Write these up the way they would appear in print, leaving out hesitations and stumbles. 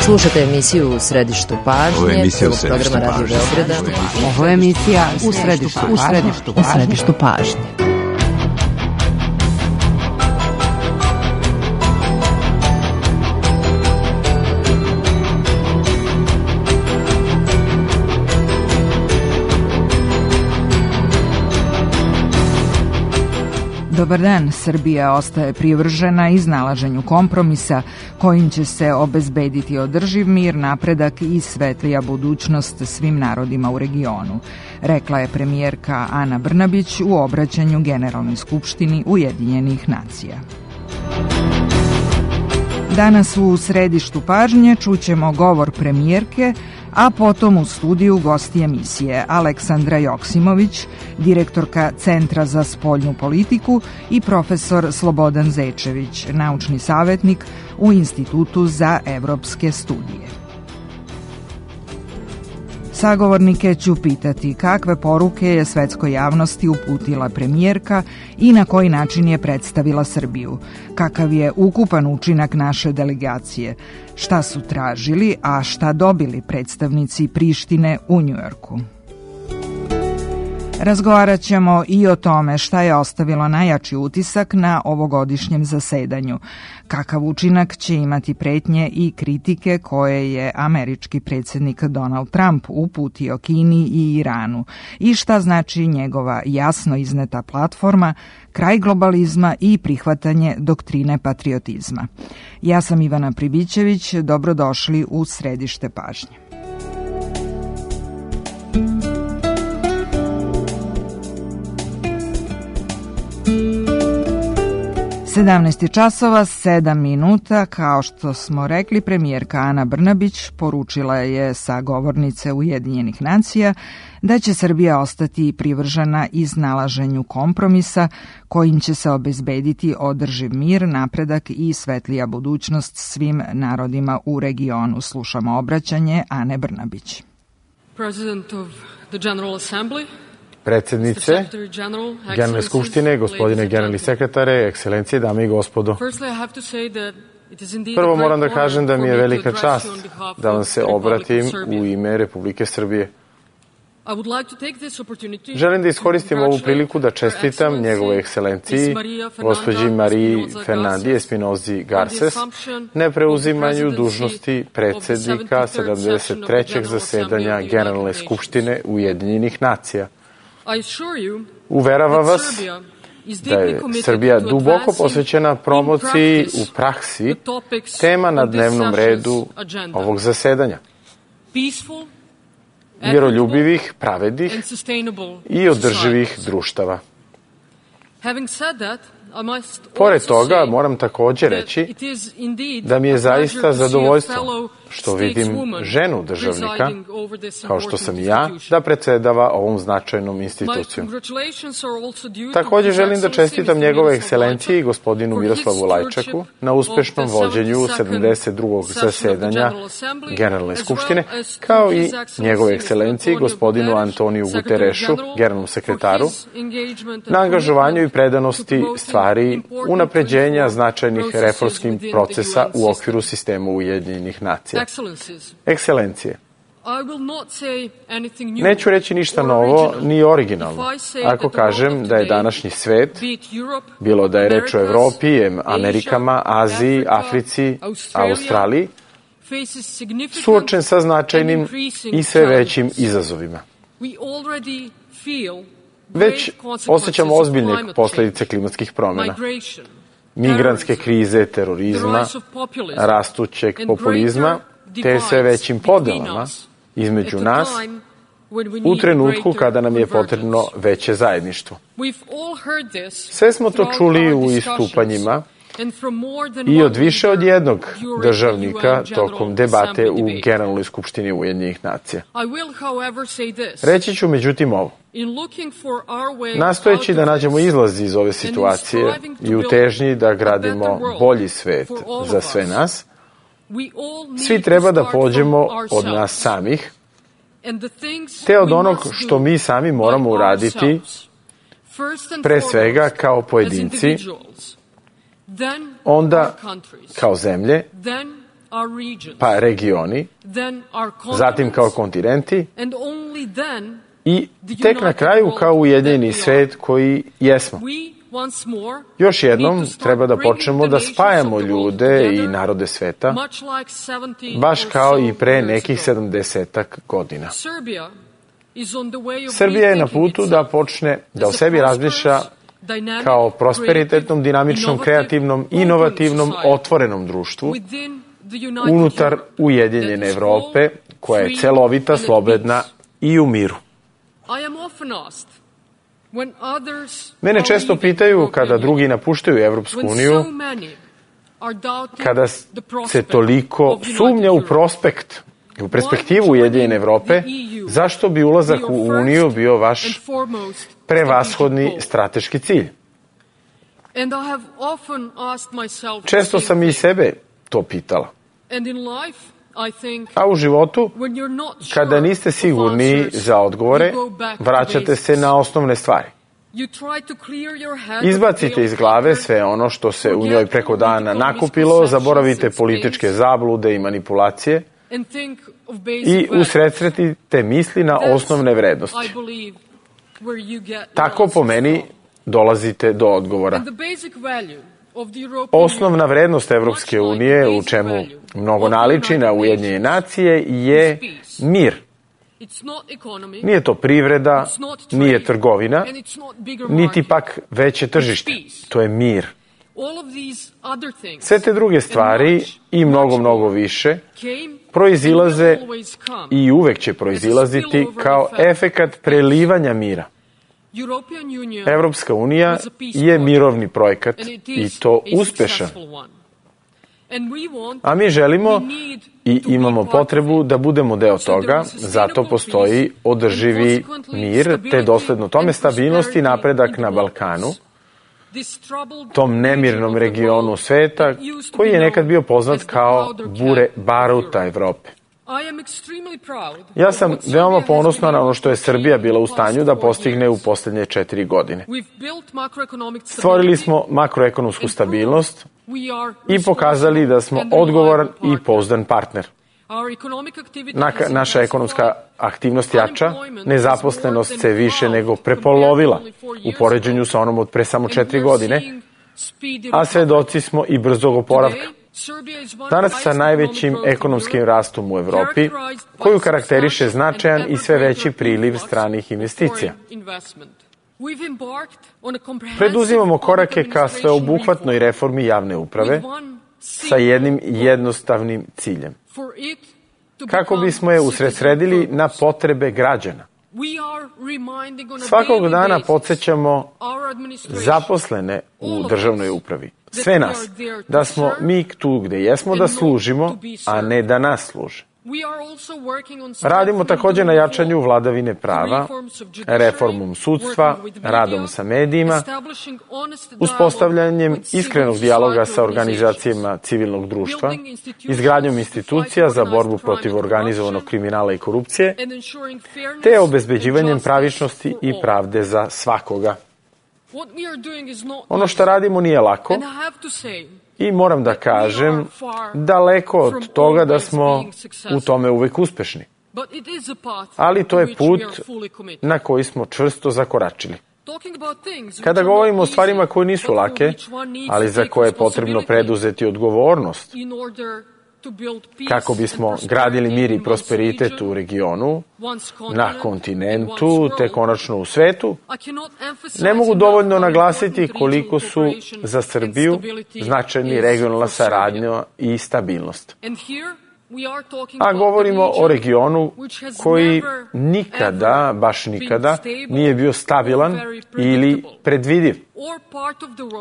Slušate emisiju U središtu pažnje, programa Radio Beograda. Ovo je emisija U središtu pažnje. Dobar dan, Srbija ostaje privržena iznalaženju kompromisa kojim će se obezbediti održiv mir, napredak i svetlija budućnost svim narodima u regionu, rekla je premijerka Ana Brnabić u obraćanju Generalnoj skupštini Ujedinjenih nacija. Danas u središtu pažnje čućemo govor premijerke, a potom u studiju gosti emisije Aleksandra Joksimović, direktorka Centra za spoljnu politiku i profesor Slobodan Zečević, naučni savetnik u Institutu za evropske studije. Sagovornike ću pitati kakve poruke je svetskoj javnosti uputila premijerka i na koji način je predstavila Srbiju, kakav je ukupan učinak naše delegacije, šta su tražili, a šta dobili predstavnici Prištine u Njujorku. Razgovarat ćemo i o tome šta je ostavilo najjači utisak na ovogodišnjem zasedanju, kakav učinak će imati pretnje i kritike koje je američki predsjednik Donald Trump uputio Kini i Iranu i šta znači njegova jasno izneta platforma, kraj globalizma i prihvatanje doktrine patriotizma. Ja sam Ivana Pribićević, dobrodošli u središte pažnje. 17 časova, 7 minuta, kao što smo rekli, premijerka Ana Brnabić poručila je sa govornice Ujedinjenih nacija da će Srbija ostati privržena iznalaženju kompromisa kojim će se obezbediti održiv mir, napredak i svetlija budućnost svim narodima u regionu. Slušamo obraćanje Ane Brnabić. President of the General Assembly, predsjednice Generalne skupštine, gospodine generalni sekretare, ekscelencije, dame i gospodo. Prvo moram da kažem da mi je velika čast da vam se obratim u ime Republike Srbije. Želim da iskoristim ovu priliku da čestitam njegovoj ekscelenciji, gospođi Mariji Fernandi Espinozi Garces, na preuzimanju dužnosti predsjednika 73. zasedanja Generalne skupštine Ujedinjenih nacija. Uveravam vas da je Srbija duboko posvećena promociji u praksi tema na dnevnom redu ovog zasedanja. Miroljubivih, pravednih i održivih društava. Pored toga, moram također reći da mi je zaista zadovoljstvo što vidim ženu državnika, kao što sam i ja, da predsedava ovom značajnom institucijom. Također želim da čestitam njegove ekscelenciji gospodinu Miroslavu Lajčaku na uspešnom vođenju 72. zasedanja Generalne skupštine, kao i njegove ekscelenciji gospodinu Antoniju Guterešu, generalnom sekretaru, na angažovanju i predanosti stvari unapređenja značajnih reformskih procesa u okviru sistema Ujedinjenih nacija. Ekscelencije, neću reći ništa novo ni originalno ako kažem da je današnji svet, bilo da je reč o Evropi, Amerikama, Aziji, Africi, Australiji, suočen sa značajnim i sve većim izazovima. Već osjećamo ozbiljne posljedice klimatskih promjena, migrantske krize, terorizma, rastućeg populizma, te sve većim podelama između nas u trenutku kada nam je potrebno veće zajedništvo. Sve smo to čuli u istupanjima i od više od jednog državnika tokom debate u Generalnoj skupštini Ujedinjenih nacija. Reći ću međutim ovo. Nastojeći da nađemo izlaz iz ove situacije i u težnji da gradimo bolji svet za sve nas, svi treba da pođemo od nas samih, te od onog što mi sami moramo uraditi, pre svega kao pojedinci, onda kao zemlje, pa regioni, zatim kao kontinenti i tek na kraju kao ujedinjeni svet koji jesmo. Još jednom treba da počnemo da spajamo ljude i narode sveta, baš kao i pre nekih 70-ak godina. Srbija je na putu da počne da o sebi razmišlja kao prosperitetnom, dinamičnom, kreativnom, inovativnom, otvorenom društvu unutar Ujedinjene Evrope, koja je celovita, slobodna i u miru. Mene često pitaju kada drugi napuštaju Evropsku uniju, kada se toliko sumnja u prospekt i u perspektivu Ujedinjene Evrope, zašto bi ulazak u Uniju bio vaš prevashodni strateški cilj? Često sam i sebe to pitala. A u životu, kada niste sigurni za odgovore, vraćate se na osnovne stvari. Izbacite iz glave sve ono što se u njoj preko dana nakupilo, zaboravite političke zablude i manipulacije i usredsretite misli na osnovne vrednosti. Tako po meni dolazite do odgovora. Osnovna vrednost Evropske unije, u čemu mnogo naliči na Ujedinjene nacije, je mir. Nije to privreda, nije trgovina, niti pak veće tržište. To je mir. Sve te druge stvari i mnogo više proizilaze i uvek će proizilaziti kao efekat prelivanja mira. Evropska unija je mirovni projekat i to uspešan. A mi želimo i imamo potrebu da budemo deo toga, zato postoji održivi mir, te dosledno tome stabilnost i napredak na Balkanu, tom nemirnom regionu sveta, koji je nekad bio poznat kao bure baruta Evrope. Ja sam veoma ponosna na ono što je Srbija bila u stanju da postigne u poslednje 4 godine. Stvorili smo makroekonomsku stabilnost i pokazali da smo odgovoran i pouzdan partner. Naša ekonomska aktivnost jača, nezaposlenost se više nego prepolovila u poređenju sa onom od pre samo 4 godine, a svedoci smo i brzog oporavka. Danas sa najvećim ekonomskim rastom u Evropi, koju karakteriše značajan i sve veći priliv stranih investicija. Preduzimamo korake ka sveobuhvatnoj reformi javne uprave sa jednim jednostavnim ciljem. Kako bismo je usredsredili na potrebe građana. Svakog dana podsjećamo zaposlene u državnoj upravi, sve nas, da smo mi tu gde jesmo da služimo, a ne da nas služe. Radimo također na jačanju vladavine prava, reformom sudstva, radom sa medijima, uspostavljanjem iskrenog dijaloga sa organizacijama civilnog društva, izgradnjom institucija za borbu protiv organizovanog kriminala i korupcije, te obezbeđivanjem pravičnosti i pravde za svakoga. Ono što radimo nije lako i moram da kažem, daleko od toga da smo u tome uvek uspešni. Ali to je put na koji smo čvrsto zakoračili. Kada govorimo o stvarima koje nisu lake, ali za koje je potrebno preduzeti odgovornost, kako bismo gradili mir i prosperitet u regionu, na kontinentu, te konačno u svetu, ne mogu dovoljno naglasiti koliko su za Srbiju značajni regionalna saradnja i stabilnost. A govorimo o regionu koji nikada, baš nikada, nije bio stabilan ili predvidiv.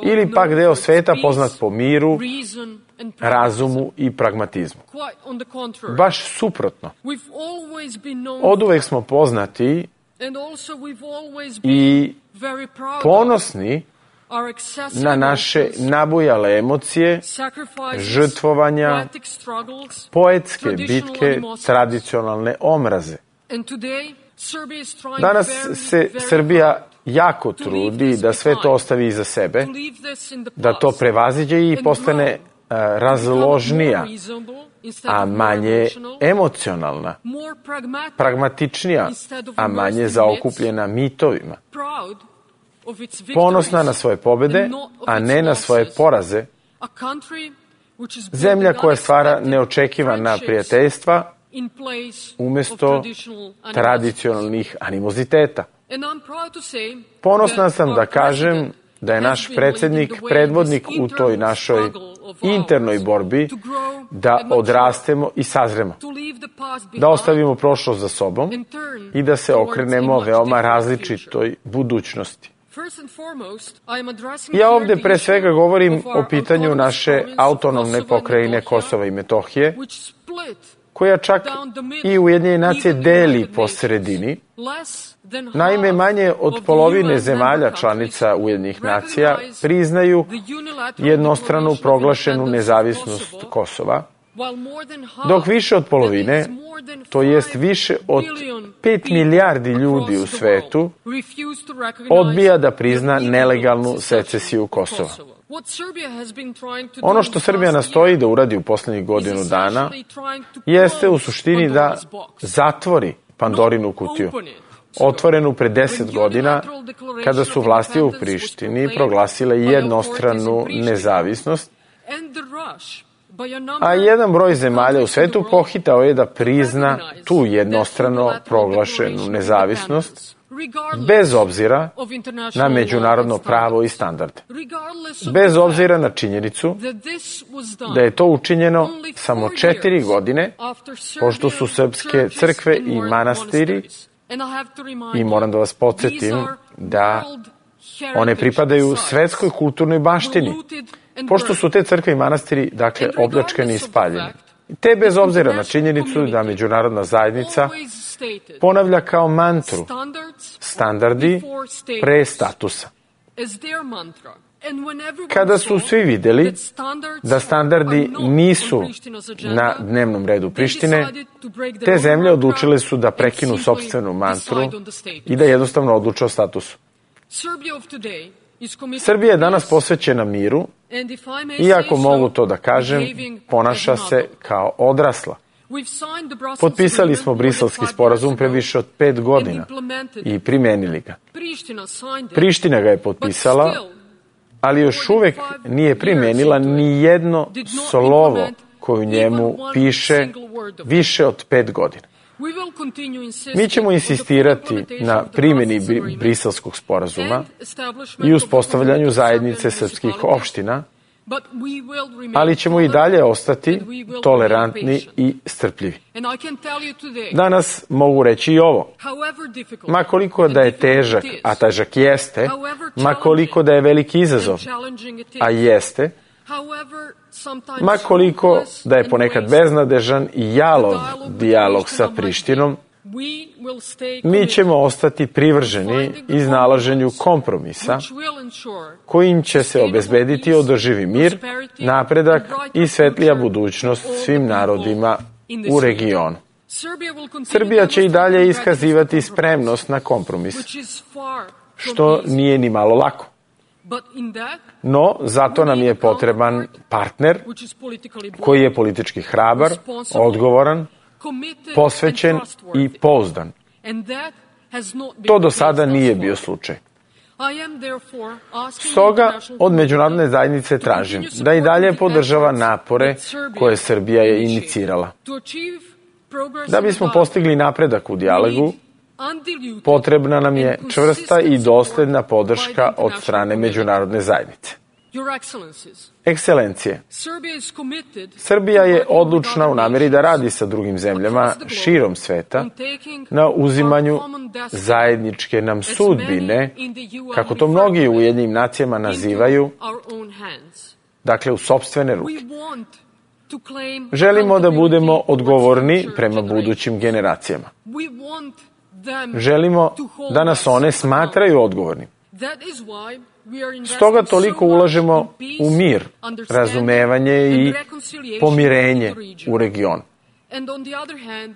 Ili pak deo sveta poznat po miru, razumu i pragmatizmu. Baš suprotno. Oduvek smo poznati i ponosni na naše nabujale emocije, žrtvovanja, poetske bitke, tradicionalne omraze. Danas se Srbija jako trudi da sve to ostavi iza sebe, da to prevaziđe i postane razložnija, a manje emocionalna, pragmatičnija, a manje zaokupljena mitovima, ponosna na svoje pobede, a ne na svoje poraze, zemlja koja stvara neočekivana prijateljstva umjesto tradicionalnih animoziteta. Ponosna sam da kažem da je naš predsjednik predvodnik u toj našoj internoj borbi da odrastemo i sazremo, da ostavimo prošlost za sobom i da se okrenemo veoma različitoj budućnosti. Ja ovdje pre svega govorim o pitanju naše autonomne pokrajine Kosova i Metohije, koja čak i Ujedinjene nacije deli po sredini. Naime, manje od polovine zemalja članica Ujedinjenih nacija priznaju jednostranu proglašenu nezavisnost Kosova, dok više od polovine, to jest više od 5 milijardi ljudi u svetu, odbija da prizna nelegalnu secesiju Kosova. Ono što Srbija nastoji da uradi u posljednjih godinu dana jeste u suštini da zatvori Pandorinu kutiju, otvorenu pre 10 godina, kada su vlasti u Prištini proglasile jednostranu nezavisnost, a jedan broj zemalja u svetu pohitao je da prizna tu jednostrano proglašenu nezavisnost, bez obzira na međunarodno pravo i standarde. Bez obzira na činjenicu da je to učinjeno samo 4 godine, pošto su srpske crkve i manastiri, i moram da vas podsjetim da one pripadaju svetskoj kulturnoj baštini, pošto su te crkve i manastiri, dakle, opljačkani i spaljeni. Te bez obzira na činjenicu da međunarodna zajednica ponavlja kao mantru standardi pre statusa. Kada su svi vidjeli da standardi nisu na dnevnom redu Prištine, te zemlje odlučile su da prekinu sopstvenu mantru i da jednostavno odluče o statusu. Srbija je danas posvećena miru i, ako mogu to da kažem, ponaša se kao odrasla. Potpisali smo Briselski sporazum pre više od 5 godina i primenili ga. Priština ga je potpisala, ali još uvek nije primenila ni jedno slovo koje u njemu piše više od 5 godina. Mi ćemo insistirati na primjeni Briselskog sporazuma i uspostavljanju zajednice srpskih opština, ali ćemo i dalje ostati tolerantni i strpljivi. Danas mogu reći i ovo. Ma koliko da je težak, a težak jeste, ma koliko da je veliki izazov, a jeste, ma koliko da je ponekad beznadežan i jalov dijalog sa Prištinom, mi ćemo ostati privrženi iznalaženju kompromisa kojim će se obezbediti održivi mir, napredak i svetlija budućnost svim narodima u regionu. Srbija će i dalje iskazivati spremnost na kompromis, što nije ni malo lako. No, zato nam je potreban partner koji je politički hrabar, odgovoran, posvećen i pouzdan. To do sada nije bio slučaj. Stoga od međunarodne zajednice tražim da i dalje podržava napore koje Srbija je inicirala. Da bismo postigli napredak u dijalogu, potrebna nam je čvrsta i dosledna podrška od strane međunarodne zajednice. Ekscelencije, Srbija je odlučna u nameri da radi sa drugim zemljama širom sveta na uzimanju zajedničke nam sudbine, kako to mnogi u Ujedinjenim nacijama nazivaju, dakle u sopstvene ruke. Želimo da budemo odgovorni prema budućim generacijama. Želimo da nas one smatraju odgovornim. Stoga toliko ulažemo u mir, razumevanje i pomirenje u regionu.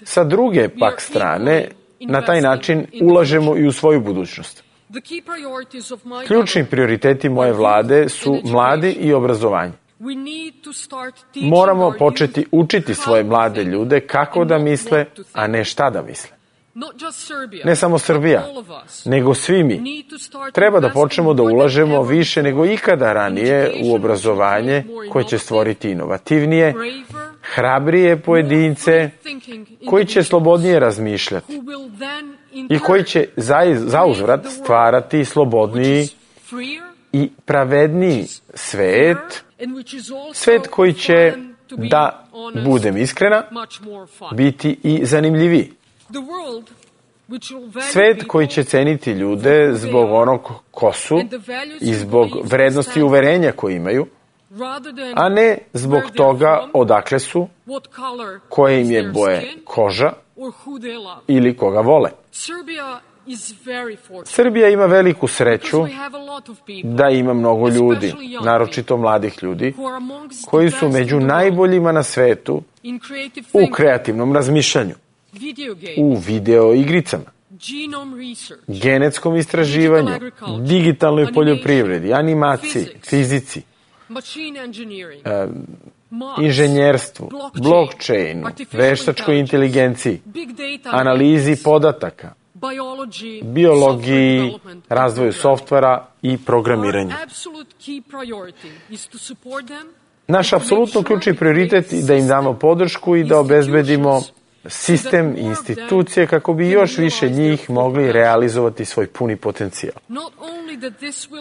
Sa druge pak strane, na taj način ulažemo i u svoju budućnost. Ključni prioriteti moje vlade su mladi i obrazovanje. Moramo početi učiti svoje mlade ljude kako da misle, a ne šta da misle. Ne samo Srbija, nego svi mi. Treba da počnemo da ulažemo više nego ikada ranije u obrazovanje koje će stvoriti inovativnije, hrabrije pojedince koji će slobodnije razmišljati i koji će zauzvrat stvarati slobodniji i pravedniji svet, svet koji će, da budem iskrena, biti i zanimljiviji. Svet koji će ceniti ljude zbog onog ko su i zbog vrednosti i uverenja koje imaju, a ne zbog toga odakle su, koje im je boje koža ili koga vole. Srbija ima veliku sreću da ima mnogo ljudi, naročito mladih ljudi, koji su među najboljima na svetu u kreativnom razmišljanju, u video igricama, genetskom istraživanju, digitalnoj poljoprivredi, animaciji, fizici, inženjerstvu, blockchainu, veštačkoj inteligenciji, analizi podataka, biologiji, razvoju softvera i programiranju. Naš apsolutno ključni prioritet je da im damo podršku i da obezbedimo sistem i institucije kako bi još više njih mogli realizovati svoj puni potencijal.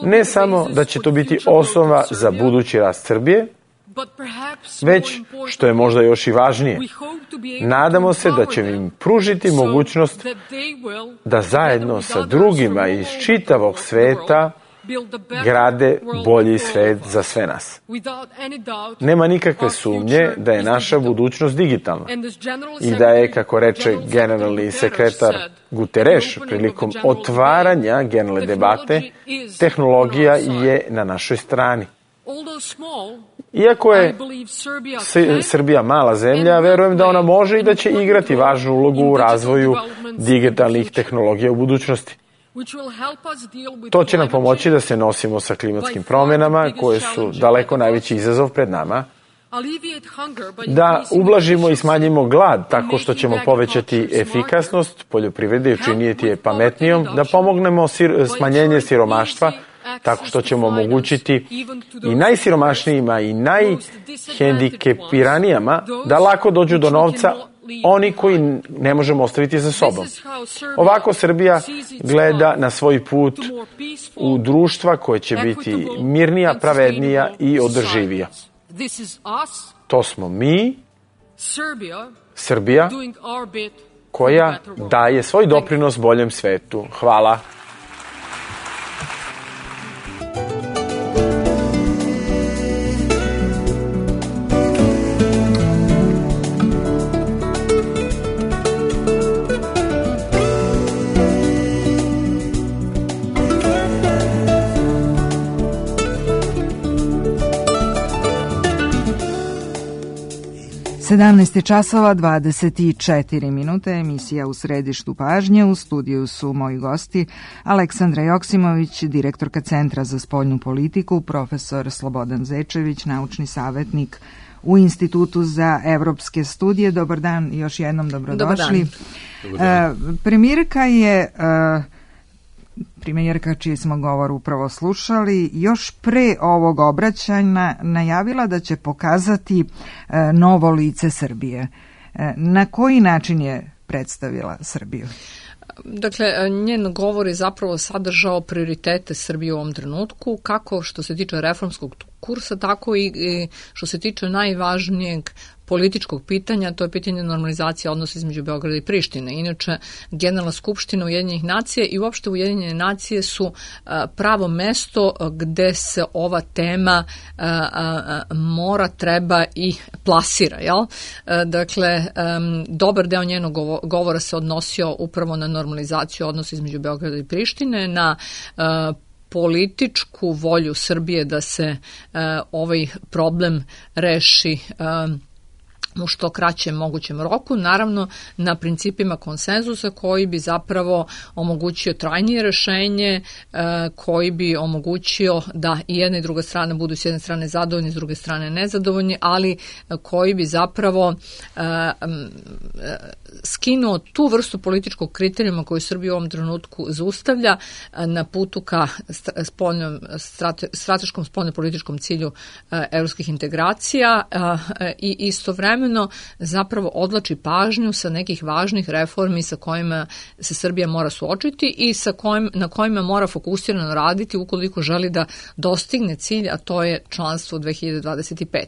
Ne samo da će to biti osnova za budući rast Srbije, već, što je možda još i važnije, nadamo se da će im pružiti mogućnost da zajedno sa drugima iz čitavog sveta grade bolji svet za sve nas. Nema nikakve sumnje da je naša budućnost digitalna i da je, kako reče generalni sekretar Guterres prilikom otvaranja generalne debate, tehnologija je na našoj strani. Iako je Srbija mala zemlja, verujem da ona može i da će igrati važnu ulogu u razvoju digitalnih tehnologija u budućnosti. To će nam pomoći da se nosimo sa klimatskim promjenama, koje su daleko najveći izazov pred nama, da ublažimo i smanjimo glad tako što ćemo povećati efikasnost poljoprivrede i učiniti je pametnijom, da pomognemo smanjenje siromaštva tako što ćemo omogućiti i najsiromašnijima i najhendikepiranijama da lako dođu do novca, oni koji ne možemo ostaviti za sobom. Ovako Srbija gleda na svoj put u društva koje će biti mirnija, pravednija i održivija. To smo mi, Srbija, koja daje svoj doprinos boljem svetu. Hvala. Sedamnaest časova 24 minute, emisija U središtu pažnje. U studiju su moji gosti Aleksandra Joksimović, direktorka Centra za spoljnu politiku, profesor Slobodan Zečević, naučni savjetnik u Institutu za evropske studije. Dobar dan, još jednom dobrodošli. Dobar dan. Premijerka čiji smo govor upravo slušali, još pre ovog obraćanja najavila da će pokazati novo lice Srbije. Na koji način je predstavila Srbiju? Dakle, njen govor je zapravo sadržao prioritete Srbije u ovom trenutku, kako što se tiče reformskog kursa, tako i što se tiče najvažnijeg političkog pitanja, to je pitanje normalizacije odnosa između Beograda i Prištine. Inače, Generalna skupština Ujedinjenih nacija i uopšte Ujedinjene nacije su pravo mesto gde se ova tema mora, treba i plasira. Jel? Dakle, dobar deo njenog govora se odnosio upravo na normalizaciju odnosa između Beograda i Prištine, na političku volju Srbije da se ovaj problem reši u što kraćem mogućem roku, naravno na principima konsenzusa koji bi zapravo omogućio trajnije rešenje, koji bi omogućio da i jedna i druga strana budu s jedne strane zadovoljni, s druge strane nezadovoljni, ali koji bi zapravo skinuo tu vrstu političkog kriterijuma koju Srbija u ovom trenutku zaustavlja na putu ka strateškom spoljno-političkom cilju evropskih integracija i istovremeno zapravo odlači pažnju sa nekih važnih reformi sa kojima se Srbija mora suočiti i na kojima mora fokusirano raditi ukoliko želi da dostigne cilj, a to je članstvo 2025.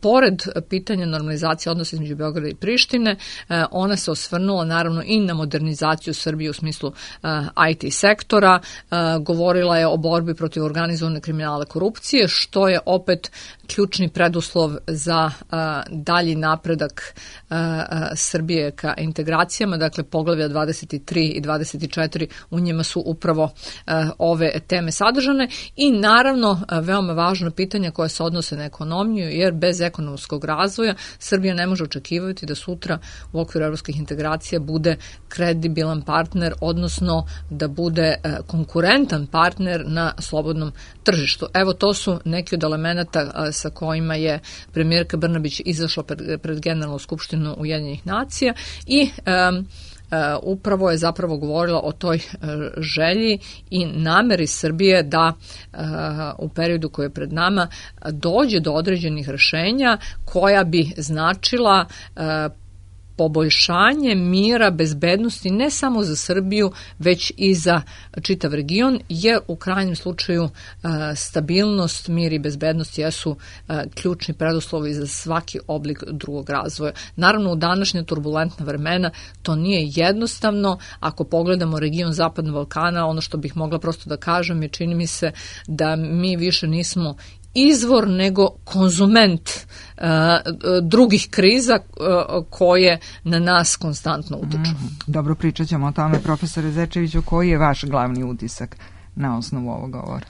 Pored pitanja normalizacije odnosa između Beograda i Prištine, ona se osvrnula naravno i na modernizaciju Srbije u smislu IT sektora, govorila je o borbi protiv organizovane kriminala korupcije, što je opet ključni preduslov za dalji napredak Srbije ka integracijama, dakle poglavlja 23 i 24, u njima su upravo ove teme sadržane i naravno veoma važno pitanja koje se odnose na ekonomiju, jer bez ekonomskog razvoja Srbija ne može očekivati da sutra u okviru evropskih integracija bude kredibilan partner, odnosno da bude konkurentan partner na slobodnom tržištu. Evo, to su neki od elemenata sa kojima je premijerka Brnabić izašla pred Generalnu skupštinu Ujedinjenih nacija i upravo je zapravo govorila o toj želji i nameri Srbije da u periodu koji je pred nama dođe do određenih rešenja koja bi značila poboljšanje mira, bezbednosti ne samo za Srbiju, već i za čitav region, jer u krajnjem slučaju stabilnost, mir i bezbednost jesu ključni preduslovi za svaki oblik drugog razvoja. Naravno, u današnje turbulentna vremena to nije jednostavno. Ako pogledamo region Zapadnog Balkana, ono što bih mogla prosto da kažem je, čini mi se da mi više nismo izvor nego konzument drugih kriza koje na nas konstantno utiču. Dobro, pričat ćemo o tome. Profesore Zečeviću, koji je vaš glavni utisak na osnovu ovog govora?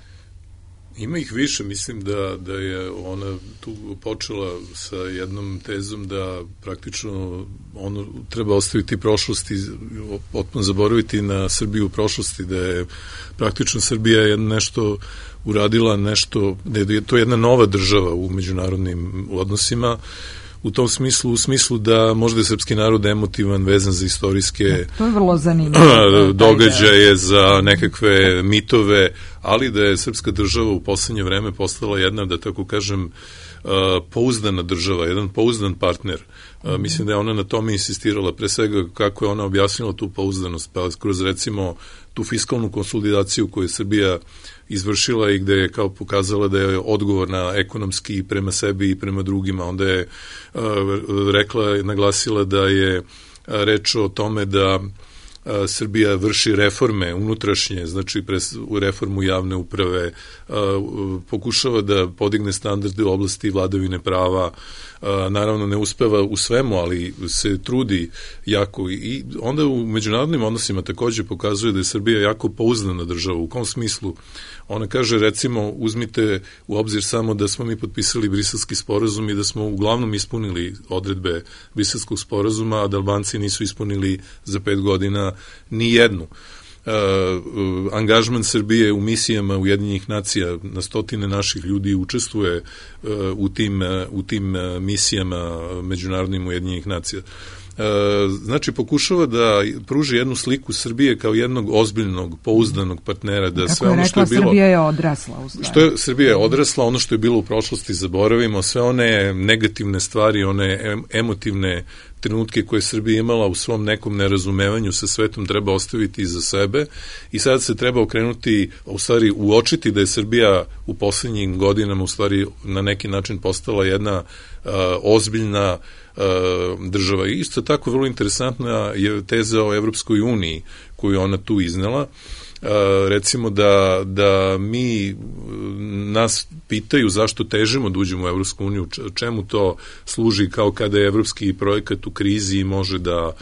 Ima ih više, mislim da je ona tu počela sa jednom tezom da praktično ono treba ostaviti prošlosti, potpuno zaboraviti na Srbiju u prošlosti, da je praktično Srbija nešto uradila, nešto, da je to jedna nova država u međunarodnim odnosima, u tom smislu, u smislu da možda je srpski narod emotivan, vezan za istorijske to je vrlo zanimljivo događaje, za nekakve mitove, ali da je srpska država u poslednje vreme postala jedna, da tako kažem, pouzdana država, jedan pouzdan partner. Mislim da je ona na tome insistirala, pre svega kako je ona objasnila tu pouzdanost, pa kroz recimo tu fiskalnu konsolidaciju koju je Srbija izvršila i gde je kao pokazala da je odgovorna ekonomski i prema sebi i prema drugima. Onda je rekla, naglasila da je reč o tome da Srbija vrši reforme unutrašnje, znači u reformu javne uprave, pokušava da podigne standarde u oblasti vladavine prava, naravno ne uspeva u svemu, ali se trudi jako i onda u međunarodnim odnosima takođe pokazuje da je Srbija jako pouzdana država. U kom smislu? Ona kaže, recimo, uzmite u obzir samo da smo mi potpisali Briselski sporazum i da smo uglavnom ispunili odredbe Briselskog sporazuma, a da Albanci nisu ispunili za 5 godina ni jednu. Angažman Srbije u misijama Ujedinjenih nacija, na stotine naših ljudi učestvuje u tim misijama međunarodnim Ujedinjenih nacija. Znači pokušava da pruži jednu sliku Srbije kao jednog ozbiljnog, pouzdanog partnera, da sve ono što je bilo... Srbija je odrasla u stvari. Srbija je odrasla, ono što je bilo u prošlosti zaboravimo, sve one negativne stvari, one emotivne trenutke koje je Srbija imala u svom nekom nerazumevanju sa svetom treba ostaviti iza sebe i sad se treba okrenuti, u stvari uočiti da je Srbija u poslednjim godinama u stvari na neki način postala jedna ozbiljna država. I isto tako vrlo interesantna je teza o Evropskoj uniji koju ona tu iznela. Recimo da nas pitaju zašto težimo da uđemo u Evropsku uniju, čemu to služi, kao kada je evropski projekat u krizi i može da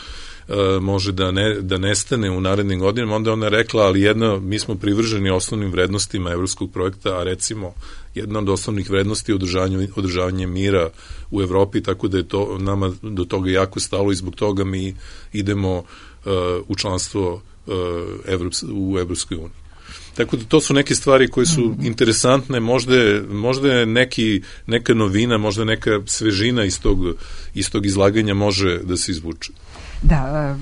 može da nestane u narednim godinama, onda ona rekla, ali mi smo privrženi osnovnim vrednostima evropskog projekta, a recimo jedna od osnovnih vrednosti je održavanje mira u Evropi, tako da je to nama do toga jako stalo i zbog toga mi idemo u članstvo u Evropskoj uniji. Tako da to su neke stvari koje su interesantne, možda je neka novina, možda neka svežina iz tog izlaganja može da se izvuče. Da,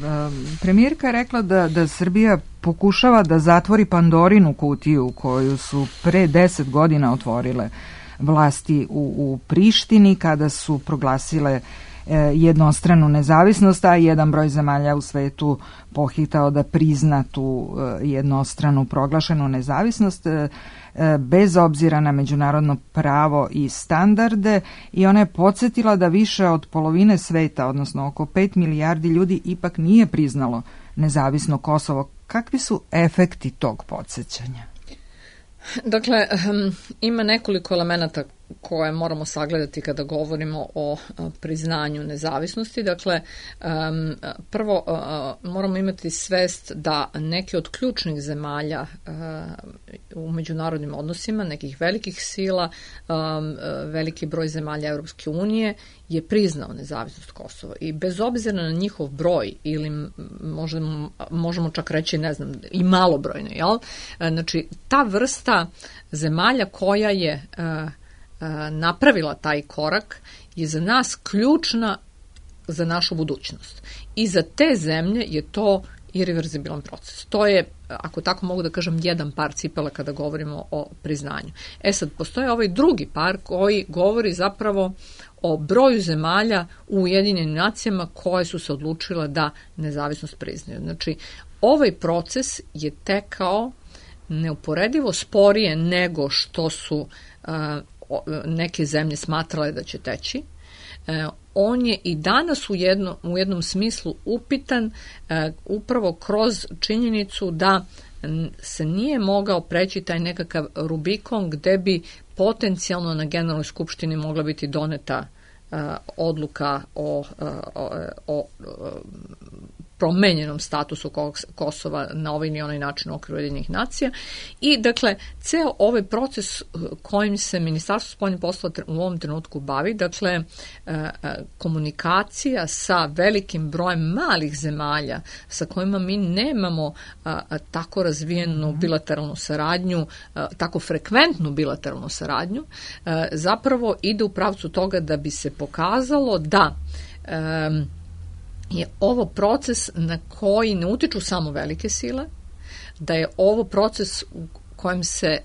premijerka je rekla da Srbija pokušava da zatvori Pandorinu kutiju koju su pre 10 godina otvorile vlasti u Prištini kada su proglasile jednostranu nezavisnost, a jedan broj zemalja u svetu pohitao da prizna tu jednostranu proglašenu nezavisnost bez obzira na međunarodno pravo i standarde, i ona je podsjetila da više od polovine sveta, odnosno oko 5 milijardi ljudi, ipak nije priznalo nezavisno Kosovo. Kakvi su efekti tog podsjećanja? Dakle, ima nekoliko elemenata koje moramo sagledati kada govorimo o priznanju nezavisnosti. Dakle, prvo moramo imati svest da neke od ključnih zemalja u međunarodnim odnosima, nekih velikih sila, veliki broj zemalja Europske unije je priznao nezavisnost Kosova i bez obzira na njihov broj ili možemo čak reći, ne znam, i malobrojno, jel? Znači, ta vrsta zemalja koja je napravila taj korak je za nas ključna za našu budućnost. I za te zemlje je to irreverzibilan proces. To je, ako tako mogu da kažem, jedan par cipela kada govorimo o priznanju. Sad, postoje ovaj drugi par koji govori zapravo o broju zemalja u Ujedinjenim nacijama koje su se odlučile da nezavisnost priznaju. Znači, ovaj proces je tekao neuporedivo sporije nego što su neke zemlje smatrale da će teći. On je i danas u jednom smislu upitan upravo kroz činjenicu da se nije mogao preći taj nekakav Rubikon gde bi potencijalno na Generalnoj skupštini mogla biti doneta odluka o promenjenom statusu Kosova na ovaj ni onaj način u okviru Ujedinjenih nacija. I dakle, ceo ovaj proces kojim se Ministarstvo spoljnih poslova u ovom trenutku bavi, dakle, komunikacija sa velikim brojem malih zemalja sa kojima mi nemamo tako razvijenu bilateralnu saradnju, tako frekventnu bilateralnu saradnju, zapravo ide u pravcu toga da bi se pokazalo da je ovo proces na koji ne utiču samo velike sile, da je ovo proces u kojem se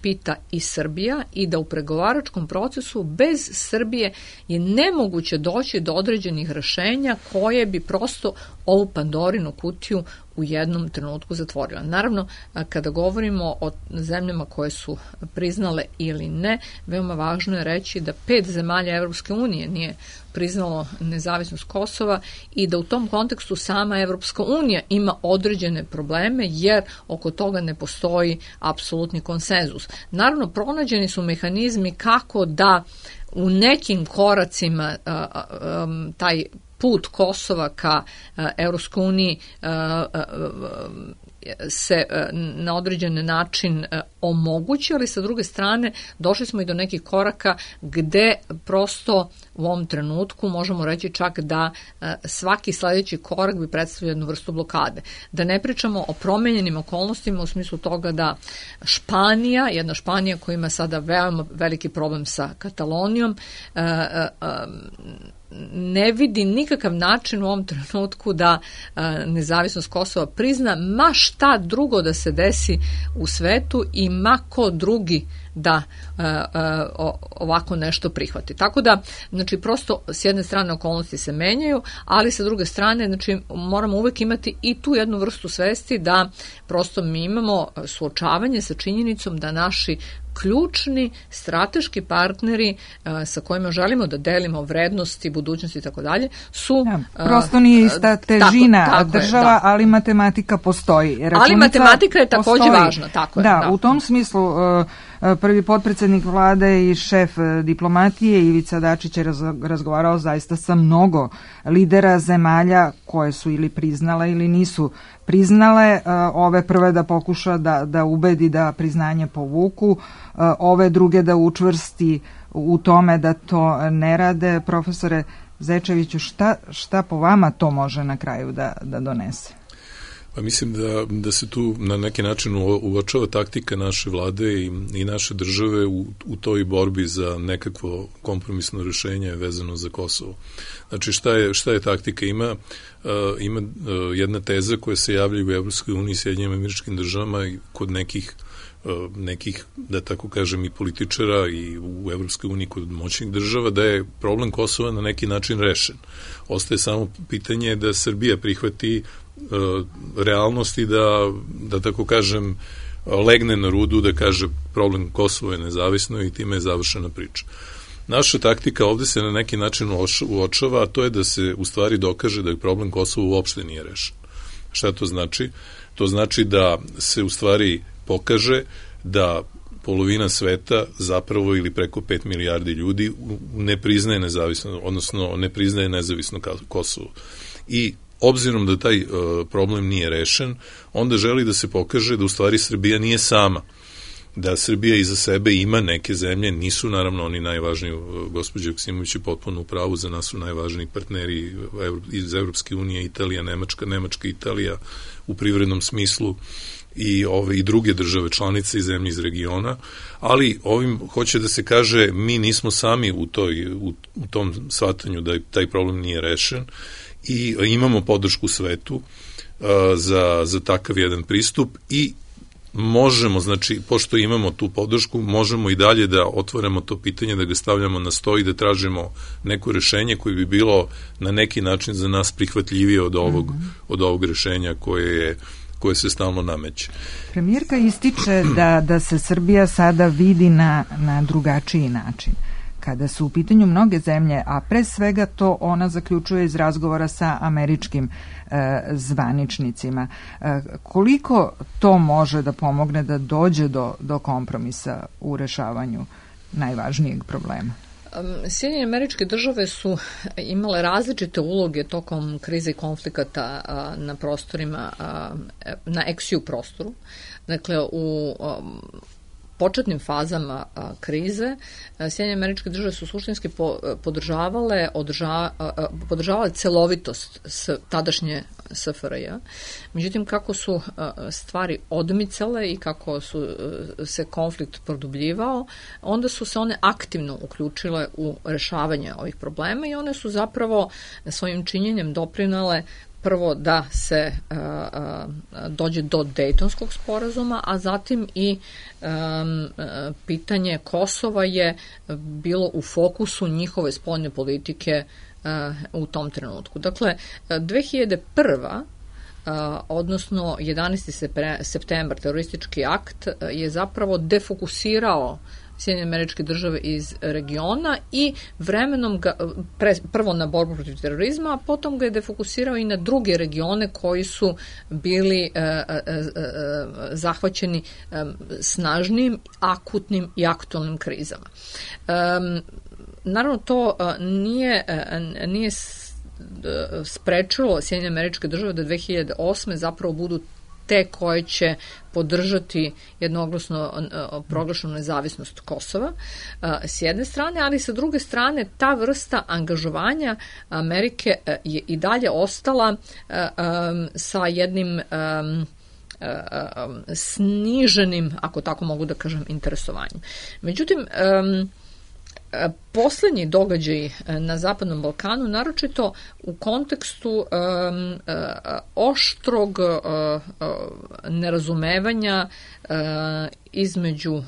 pita i Srbija i da u pregovaračkom procesu bez Srbije je nemoguće doći do određenih rešenja koje bi prosto ovu Pandorinu kutiju u jednom trenutku zatvorila. Naravno, kada govorimo o zemljama koje su priznale ili ne, veoma važno je reći da 5 zemalja Evropske unije nije priznalo nezavisnost Kosova i da u tom kontekstu sama Evropska unija ima određene probleme jer oko toga ne postoji apsolutni konsenzus. Naravno, pronađeni su mehanizmi kako da u nekim koracima taj put Kosova ka Evropskoj uniji se na određen način omogući, ali sa druge strane došli smo i do nekih koraka gde prosto u ovom trenutku možemo reći čak da svaki sledeći korak bi predstavljao jednu vrstu blokade. Da ne pričamo o promenjenim okolnostima u smislu toga da jedna Španija koja ima sada veoma veliki problem sa Katalonijom, ne vidi nikakav način u ovom trenutku da nezavisnost Kosova prizna, ma šta drugo da se desi u svetu i ma ko drugi da ovako nešto prihvati. Tako da, znači, prosto s jedne strane okolnosti se menjaju, ali sa druge strane, znači, moramo uvek imati i tu jednu vrstu svesti da prosto mi imamo suočavanje sa činjenicom da naši ključni strateški partneri sa kojima želimo da delimo vrednosti, budućnosti i tako dalje su... prosto nije ista težina tako država, je, ali matematika postoji. Ali matematika je takođe važna. Tako je, u tom smislu Prvi potpredsednik vlade i šef diplomatije Ivica Dačić je razgovarao zaista sa mnogo lidera zemalja koje su ili priznale ili nisu priznale, ove prve da pokuša da ubedi da priznanje povuku, ove druge da učvrsti u tome da to ne rade. Profesore Zečeviću, šta po vama to može na kraju da donese? Pa mislim da se tu na neki način uočava taktika naše vlade i naše države u toj borbi za nekakvo kompromisno rješenje vezano za Kosovo. Znači šta je taktika? Ima jedna teza koja se javlja u Evropskoj uniji i Sjedinjenim Američkim Državama i kod nekih, da tako kažem, i političara i u Evropskoj uniji kod moćnih država, da je problem Kosova na neki način rešen. Ostaje samo pitanje da Srbija prihvati realnost i da tako kažem legne na rudu, da kaže problem Kosova je nezavisno i time je završena priča. Naša taktika ovde se na neki način uočava, a to je da se u stvari dokaže da je problem Kosova uopšte nije rešen. Šta to znači? To znači da se u stvari pokaže da polovina sveta zapravo ili preko 5 milijardi ljudi ne priznaje nezavisno, odnosno ne priznaje nezavisno Kosovo. I obzirom da taj problem nije rešen, onda želi da se pokaže da u stvari Srbija nije sama, da Srbija iza sebe ima neke zemlje, nisu naravno oni najvažniji, gospođa Joksimović je potpuno u pravu, za nas su najvažniji partneri iz Evropske unije, Italija, Nemačka, Italija u privrednom smislu i druge države članice i zemlje iz regiona, ali ovim hoće da se kaže mi nismo sami u tom shvatanju da taj problem nije rešen i imamo podršku svetu za takav jedan pristup i možemo, znači, pošto imamo tu podršku, možemo i dalje da otvorimo to pitanje, da ga stavljamo na sto i da tražimo neko rešenje koje bi bilo na neki način za nas prihvatljivije od ovog rešenja koje se stalno nameće. Premijerka ističe da se Srbija sada vidi na drugačiji način. Kada su u pitanju mnoge zemlje, a pre svega to ona zaključuje iz razgovora sa američkim zvaničnicima. Koliko to može da pomogne da dođe do kompromisa u rešavanju najvažnijeg problema? Sjedinjene Američke Države su imale različite uloge tokom krize i konflikata na prostorima, na ex-ju prostoru. Dakle, u početnim fazama krize Sjedinjene Američke Države su suštinski podržavale celovitost tadašnje SFRJ. Međutim, kako su stvari odmicale i kako se konflikt produbljivao, onda su se one aktivno uključile u rešavanje ovih problema i one su zapravo svojim činjenjem doprinale prvo da se dođe do Dejtonskog sporazuma, a zatim i pitanje Kosova je bilo u fokusu njihove spoljne politike u tom trenutku. Dakle, 2001. Odnosno 11. septembar, teroristički akt, je zapravo defokusirao Sjedinjene Američke Države iz regiona i vremenom ga, prvo na borbu protiv terorizma, a potom ga je defokusirao i na druge regione koji su bili zahvaćeni snažnim, akutnim i aktualnim krizama. Naravno, to nije sprečilo Sjedinjene Američke Države da 2008. zapravo budu te koje će podržati jednoglasno proglašenu nezavisnost Kosova s jedne strane, ali sa druge strane ta vrsta angažovanja Amerike je i dalje ostala sa jednim sniženim, ako tako mogu da kažem, interesovanjem. Međutim, poslednji događaj na Zapadnom Balkanu, naročito u kontekstu oštrog nerazumevanja između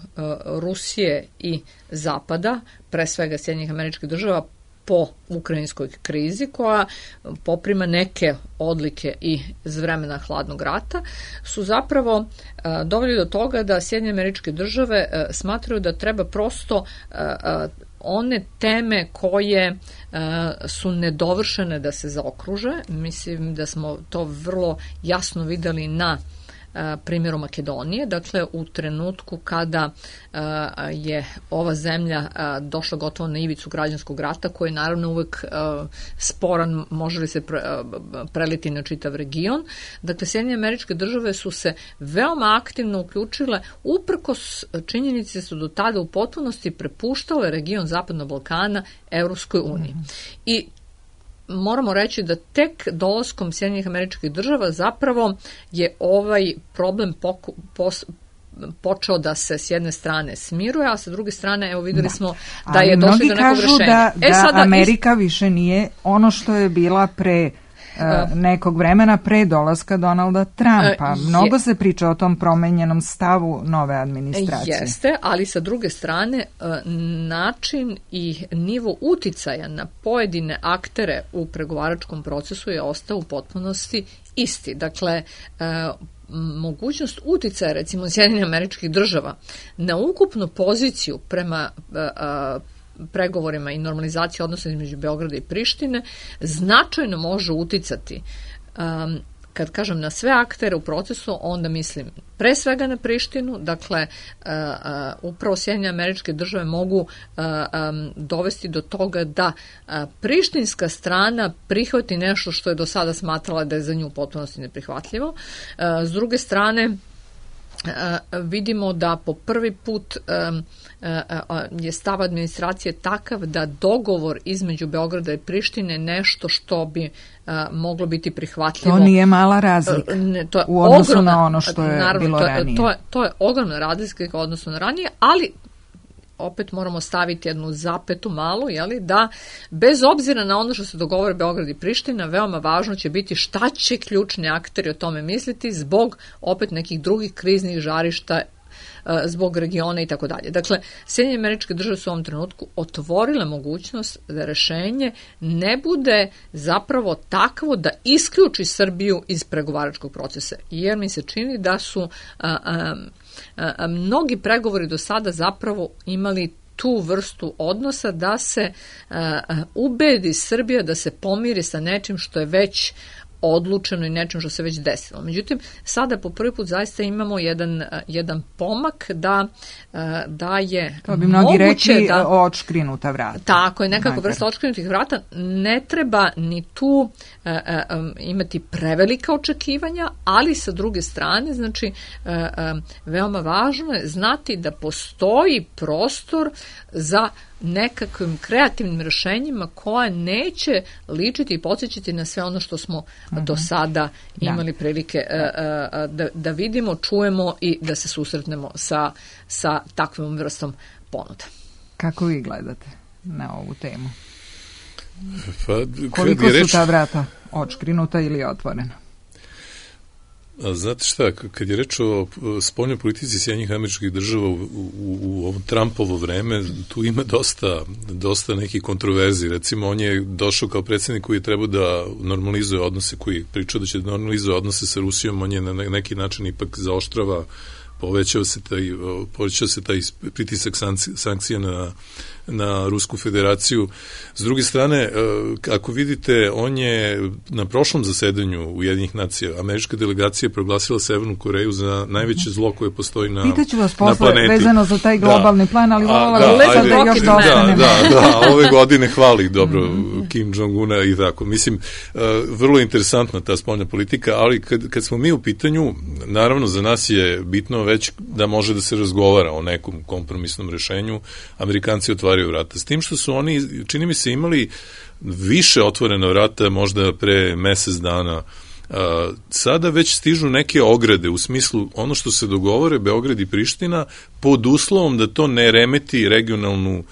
Rusije i Zapada, pre svega Sjedinjenih Američkih Država, po ukrajinskoj krizi, koja poprima neke odlike i iz vremena hladnog rata, su zapravo doveli do toga da Sjedinjene Američke Države smatraju da treba prosto one teme koje su nedovršene da se zaokruže. Mislim da smo to vrlo jasno videli na primjeru Makedonije. Dakle, u trenutku kada je ova zemlja došla gotovo na ivicu građanskog rata, koji je naravno uvek sporan, može li se preliti na čitav region. Dakle, Sjedinjene Američke Države su se veoma aktivno uključile, uprkos činjenici su do tada u potpunosti prepuštale region Zapadnog Balkana Evropskoj uniji. I moramo reći da tek dolaskom Sjedinjenih Američkih Država zapravo je ovaj problem počeo da se s jedne strane smiruje, a sa druge strane, evo videli smo da je došli do nekog rešenja. Da Amerika više nije ono što je bila pre nekog vremena, pre dolaska Donalda Trumpa. Mnogo se priča o tom promenjenom stavu nove administracije. Jeste, ali sa druge strane način i nivo uticaja na pojedine aktere u pregovaračkom procesu je ostao u potpunosti isti. Dakle, mogućnost uticaja, recimo, Sjedinjenih Američkih Država na ukupnu poziciju prema pregovorima i normalizaciji odnosa između Beograda i Prištine značajno može uticati, kad kažem na sve aktere u procesu, onda mislim pre svega na Prištinu. Dakle, upravo Sjedinjene Američke Države mogu dovesti do toga da prištinska strana prihvati nešto što je do sada smatrala da je za nju u potpunosti neprihvatljivo. S druge strane, vidimo da po prvi put je stav administracije takav da dogovor između Beograda i Prištine nešto što bi moglo biti prihvatljivo. To nije mala razlika u odnosu na ono što je bilo ranije. To je ogromna razlika u odnosu na ranije, ali opet moramo staviti jednu zapetu malu, da bez obzira na ono što se dogovore Beograd i Priština, veoma važno će biti šta će ključni akteri o tome misliti zbog opet nekih drugih kriznih žarišta, zbog regiona i tako dalje. Dakle, Sjedinjene Američke Države su u ovom trenutku otvorile mogućnost da rešenje ne bude zapravo takvo da isključi Srbiju iz pregovaračkog procesa, jer mi se čini da su mnogi pregovori do sada zapravo imali tu vrstu odnosa da se ubedi Srbija da se pomiri sa nečim što je već odlučeno i nečem što se već desilo. Međutim, sada po prvi put zaista imamo jedan pomak da je to bi mnogi rekli odškrinuta vrata. Tako je, nekako vrsta odškrinutih vrata. Ne treba ni tu imati prevelika očekivanja, ali sa druge strane, znači, veoma važno je znati da postoji prostor za nekakvim kreativnim rešenjima koja neće ličiti i podsjećati na sve ono što smo do sada imali prilike da vidimo, čujemo i da se susretnemo sa takvom vrstom ponuda. Kako vi gledate na ovu temu? Pa, koliko su ta vrata odškrinuta ili otvorena? Znate šta, kad je reč o spoljnoj politici Sjedinjenih Američkih Država u ovo Trumpovo vreme, tu ima dosta nekih kontroverzi. Recimo, on je došao kao predsjednik koji je trebao da normalizuje odnose, koji je pričao da će da normalizuje odnose sa Rusijom, on je na neki način ipak zaoštrava, povećao se taj pritisak sankcija na Rusku federaciju. S druge strane, ako vidite, on je na prošlom zasedanju Ujedinjenih nacija, američka delegacija je proglasila Severnu Koreju za najveće zlo koje postoji na planeti. Pitaću vas posle vezano za taj globalni plan, ali voljela da još dostanemo. Da, ove godine hvali dobro Kim Jong-una i tako. Mislim, vrlo interesantna ta spoljna politika, ali kad smo mi u pitanju, naravno za nas je bitno već da može da se razgovara o nekom kompromisnom rešenju. Amerikanci otvaraju vrata. S tim što su oni, čini mi se, imali više otvorena vrata možda pre mesec dana. Sada već stižu neke ograde u smislu ono što se dogovore Beograd i Priština pod uslovom da to ne remeti regionalnu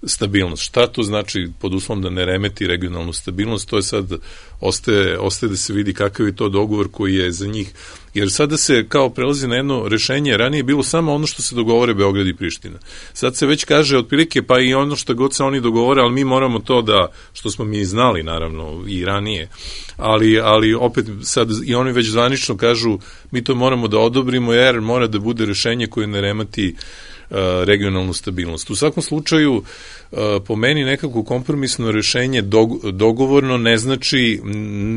stabilnost. Šta to znači pod uslovom da ne remeti regionalnu stabilnost? To je sad, ostaje da se vidi kakav je to dogovor koji je za njih. Jer sada se kao prelazi na jedno rešenje, ranije je bilo samo ono što se dogovore Beograd i Priština. Sad se već kaže otprilike pa i ono što god se oni dogovore, ali mi moramo to da, što smo mi znali naravno i ranije, ali opet sad i oni već zvanično kažu mi to moramo da odobrimo jer mora da bude rešenje koje ne remeti regionalnu stabilnost. U svakom slučaju, po meni nekako kompromisno rešenje dogovorno ne znači,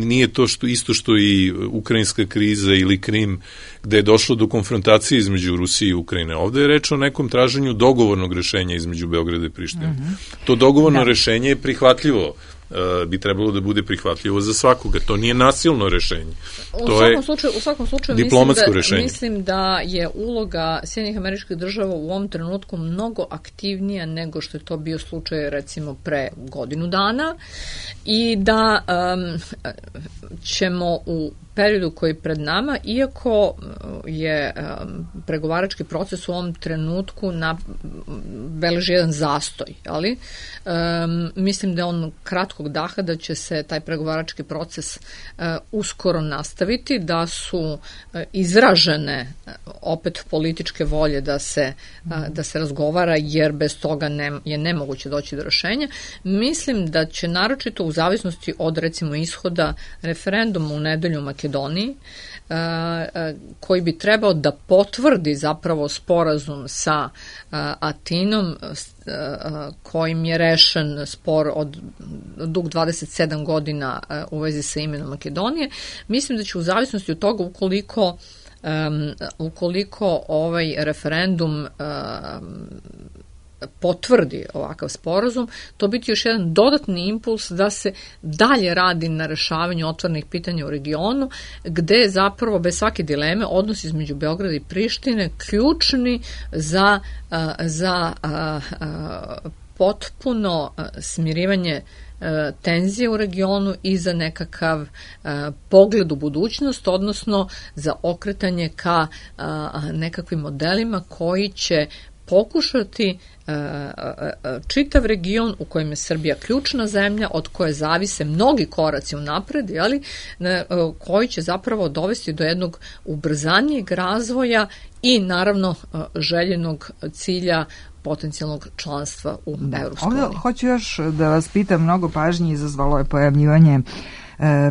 nije to isto što i ukrajinska kriza ili Krim, gde je došlo do konfrontacije između Rusije i Ukrajine. Ovde je reč o nekom traženju dogovornog rešenja između Beograda i Prištine. To dogovorno rešenje je prihvatljivo, bi trebalo da bude prihvatljivo za svakoga. To nije nasilno rešenje. U svakom slučaju diplomatsko rešenje. Mislim da je uloga Sjedinjenih Američkih Država u ovom trenutku mnogo aktivnija nego što je to bio slučaj recimo pre godinu dana i da ćemo u periodu koji je pred nama, iako je pregovarački proces u ovom trenutku beleži jedan zastoj, ali mislim da je on kratkog daha, da će se taj pregovarački proces uskoro nastaviti, da su izražene opet političke volje da se razgovara, jer bez toga je nemoguće doći do rešenja. Mislim da će naročito u zavisnosti od recimo ishoda referenduma u nedelju u Makedoniji, koji bi trebao da potvrdi zapravo sporazum sa Atinom, kojim je rešen spor od dug 27 godina u vezi sa imenom Makedonije. Mislim da će u zavisnosti od toga, ukoliko ovaj referendum potvrdi ovakav sporazum, to biti još jedan dodatni impuls da se dalje radi na rešavanju otvorenih pitanja u regionu, gde je zapravo bez svake dileme odnos između Beograda i Prištine ključni za potpuno smirivanje tenzije u regionu i za nekakav pogled u budućnost, odnosno za okretanje ka nekakvim modelima koji će pokušati čitav region u kojem je Srbija ključna zemlja, od koje zavise mnogi koraci unapred, koji će zapravo dovesti do jednog ubrzanijeg razvoja i naravno željenog cilja potencijalnog članstva u Evropskoj uniji. Ovdje hoću još da vas pitam, mnogo pažnje izazvalo je pojavljivanje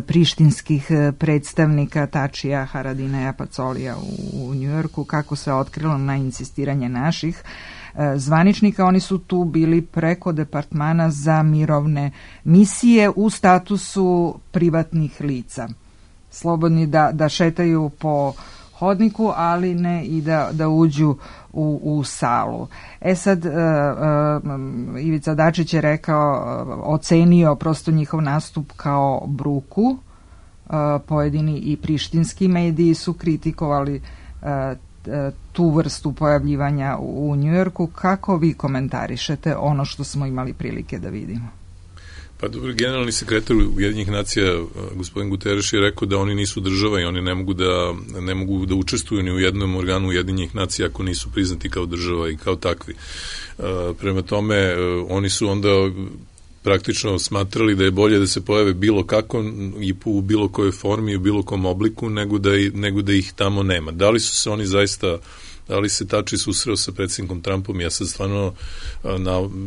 prištinskih predstavnika Tačija, Haradinaja, Pacolija u Njujorku, kako se otkrilo na insistiranje naših zvaničnika. Oni su tu bili preko Departmana za mirovne misije u statusu privatnih lica. Slobodni da šetaju po hodniku, ali ne i da uđu u salu. Sad, Ivica Dačić je ocenio prosto njihov nastup kao bruku. Pojedini i prištinski mediji su kritikovali tu vrstu pojavljivanja u Njujorku. Kako vi komentarišete ono što smo imali prilike da vidimo? Pa dobro, generalni sekretar Ujedinjenih nacija, gospodin Guterres, je rekao da oni nisu država i oni ne mogu da učestvuju ni u jednom organu Ujedinjenih nacija ako nisu priznati kao država i kao takvi. Prema tome, oni su onda praktično smatrali da je bolje da se pojave bilo kako i u bilo kojoj formi i u bilo kom obliku nego da ih tamo nema. Da li su se oni zaista, da li se Tači susreo sa predsjednikom Trumpom, ja sad stvarno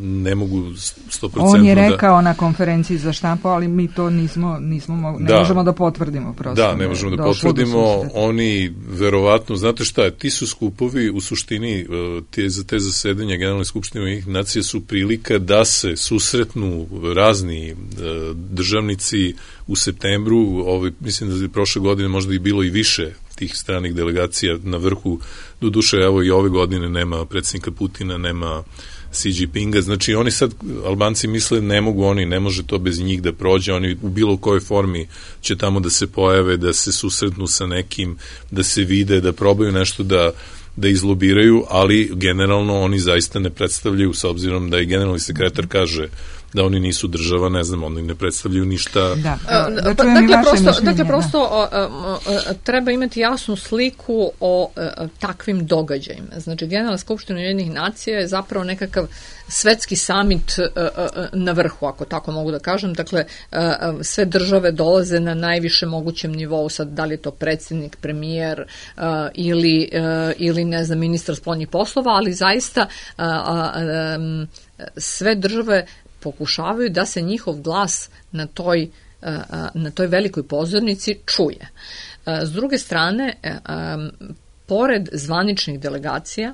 ne mogu 100%. On je rekao na konferenciji za štampu, ali mi to ne možemo da potvrdimo prosto. Da, ne možemo da potvrdimo. Oni verovatno, znate šta, ti su skupovi u suštini te zasedanja Generalne skupštine Ujedinjenih nacija su prilika da se susretnu razni državnici u septembru. Mislim da je prošle godine možda i bilo i više tih stranih delegacija na vrhu. Doduše, evo i ove godine nema predsjednika Putina, nema Xi Jinpinga, znači oni sad, Albanci misle ne može to bez njih da prođe, oni u bilo kojoj formi će tamo da se pojave, da se susretnu sa nekim, da se vide, da probaju nešto da izlobiraju, ali generalno oni zaista ne predstavljaju, s obzirom da i generalni sekretar kaže da oni nisu država, ne znam, oni ne predstavljaju ništa. Dakle, prosto treba imati jasnu sliku o takvim događajima. Znači, Generalna skupština Ujedinjenih nacija je zapravo nekakav svetski samit na vrhu, ako tako mogu da kažem. Dakle, sve države dolaze na najviše mogućem nivou, sad da li je to predsjednik, premijer ili ne znam, ministar spoljnih poslova, ali zaista sve države pokušavaju da se njihov glas na toj velikoj pozornici čuje. S druge strane, pored zvaničnih delegacija,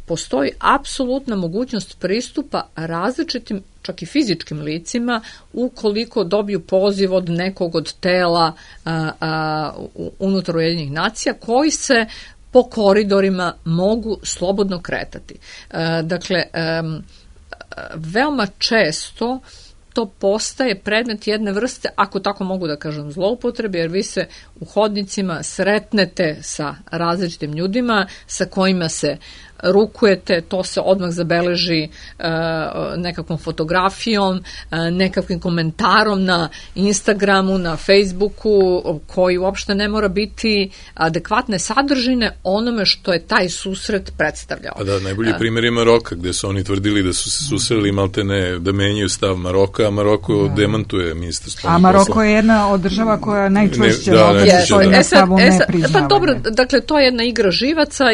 postoji apsolutna mogućnost pristupa različitim, čak i fizičkim licima, ukoliko dobiju poziv od nekog od tela unutar Ujedinjenih nacija, koji se po koridorima mogu slobodno kretati. Dakle, veoma često to postaje predmet jedne vrste, ako tako mogu da kažem, zloupotrebe, jer vi se u hodnicima sretnete sa različitim ljudima sa kojima se rukujete, to se odmah zabeleži nekakvom fotografijom, nekakvim komentarom na Instagramu, na Facebooku, koji uopšte ne mora biti adekvatne sadržine onome što je taj susret predstavljao. A da, najbolji primjer je Maroka, gde su oni tvrdili da su se susreli maltene da menjaju stav Maroka, a Maroko demantuje ministar spoljnih poslova. A Maroko je jedna od država koja najčešće na stavu ne priznavanja. Pa dobro, dakle, to je jedna igra živaca